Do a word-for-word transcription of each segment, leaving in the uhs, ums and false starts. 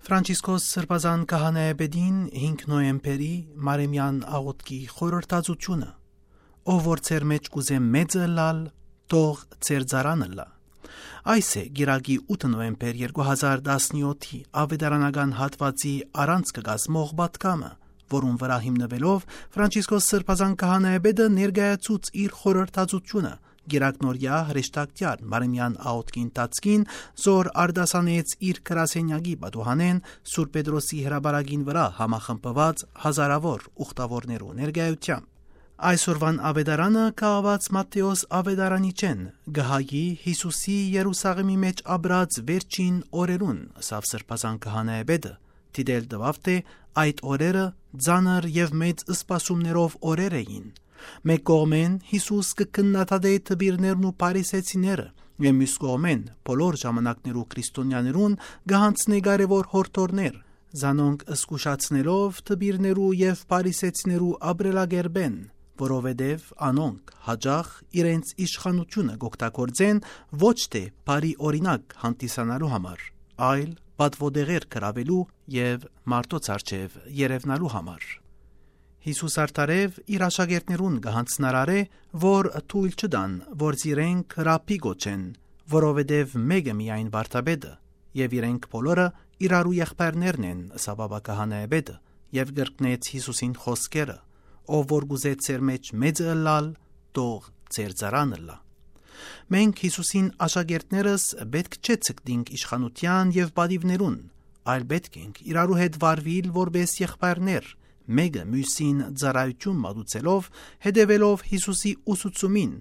Ֆրանցիսկոս Սրբազան Քահանայապետին հինգ նոյեմբերի Մարեմեան աղօթքի խորհրդածութիւնը։ «Ով որ ձեր մէջ կ'ուզէ մեծը ըլլալ, թող ձեր ծառան ըլլայ»։ Այս է կիրակի ութ նոյեմբեր երկու հազար տասնեօթի Աւետարանական հատուածի առանցքը կազմող պատգամը, որուն վրայ հիմնուելով Ֆրանցիսկոս Սրբազան Քահանայապետը ներկայացուց իր խորհրդածութիւնը կիրակնօրեայ հրեշտակցեալ Մարեմեան աղօթքի ընթացքին, զոր արտասանեց իր գրասենյակի պատուհանէն Սուրբ Պետրոսի հրապարակին վրայ համախմբուած հազարաւոր ուխտաւորներու ներկայութեամբ։ Այսօրուան Աւետարանը կը աւած Մատթէոս Աւետարանիչէն, կը հայի Յիսուսի Երուսաղէմի մէջ ապրած վերջին օրերուն, ըսաւ Սրբազան Քահանայապետը, դիտել տուաւ թէ այդ օրերը ծանր եւ մեծ սպասումներով օրեր էին։ Մէկ կողմէն Յիսուս կը քննադատէ դպիրներն ու փարիսեցիները, եւ միւս կողմէն բոլոր ժամանակներու քրիստոնեաներուն կը յանձնէ կարեւոր յորդորներ, զանոնք զգուշացնելով դպիրներու եւ փարիսեցիներու ապրելակերպէն, որովհետեւ անոնք յաճախ իրենց իշխանութիւնը կ'օգտագործեն ոչ թէ բարի օրինակ հանդիսանալու համար, այլ պատուոտեղեր գրաւելու եւ մարդոց առջեւ երեւնալու համար։ Յիսուս արդարեւ իր աշակերտներուն կը յանձնարարէ, որ թոյլ չտան, որ զիրենք Ռաբբի կոչեն, որովհետեւ մէկը միայն վարդապետը, եւ իրենք բոլորը իրարու եղբայրներն են, ըսաւ ապա քահանայապետը, եւ կրկնեց Յիսուսին խօսքերը. «Ով որ կ'ուզէ ձեր մէջ մեծը ըլլալ, թող ձեր ծառան ըլլայ»։ Մենք Յիսուսին աշակերտներս պէտք չէ ցկտինք իշխանութեան եւ պատիւներուն, այլ պէտք ենք իրարու հետ վարուիլ որպէս եղբայրներ, մէկը միւսին ծառայութիւն մատուցելով, հետեւելով Յիսուսի ուսուցումին,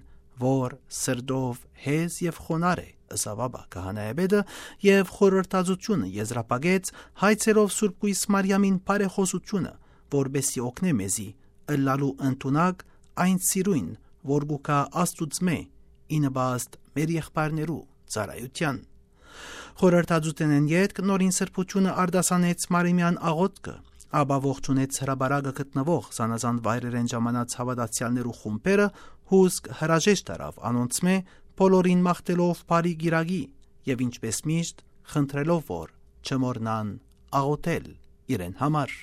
որ սրտով հեզ եւ խոնար է, ըսաւ ապա քահանայապետը, եւ խորհրդածութիւնը եզրափակեց հայցելով Սուրբ Կոյս Մարիամին բարեխօսութիւնը, որպէս զի օգնէ մեզի ըլլալու ընդունակ այն սիրոյն, որ կու գայ Աստուծմէ, ի նպաստ մեր եղբայրներու ծառայութեան։ Խորհրդածութենէն ետք Նորին Սրբութիւնը արտասանեց Մարեմեան աղօթքը, ապա ողջունեց հրապարակը գտնուող զանազան վայրերէն ժամանած հաւատացեալներու խումբերը, հուսկ հրաժեշտ առաւ անոնցմէ, բոլորին մաղթելով բարի կիրակի եւ, ինչպէս միշտ, խնդրելով, որ չմոռնան աղօթել իրեն համար։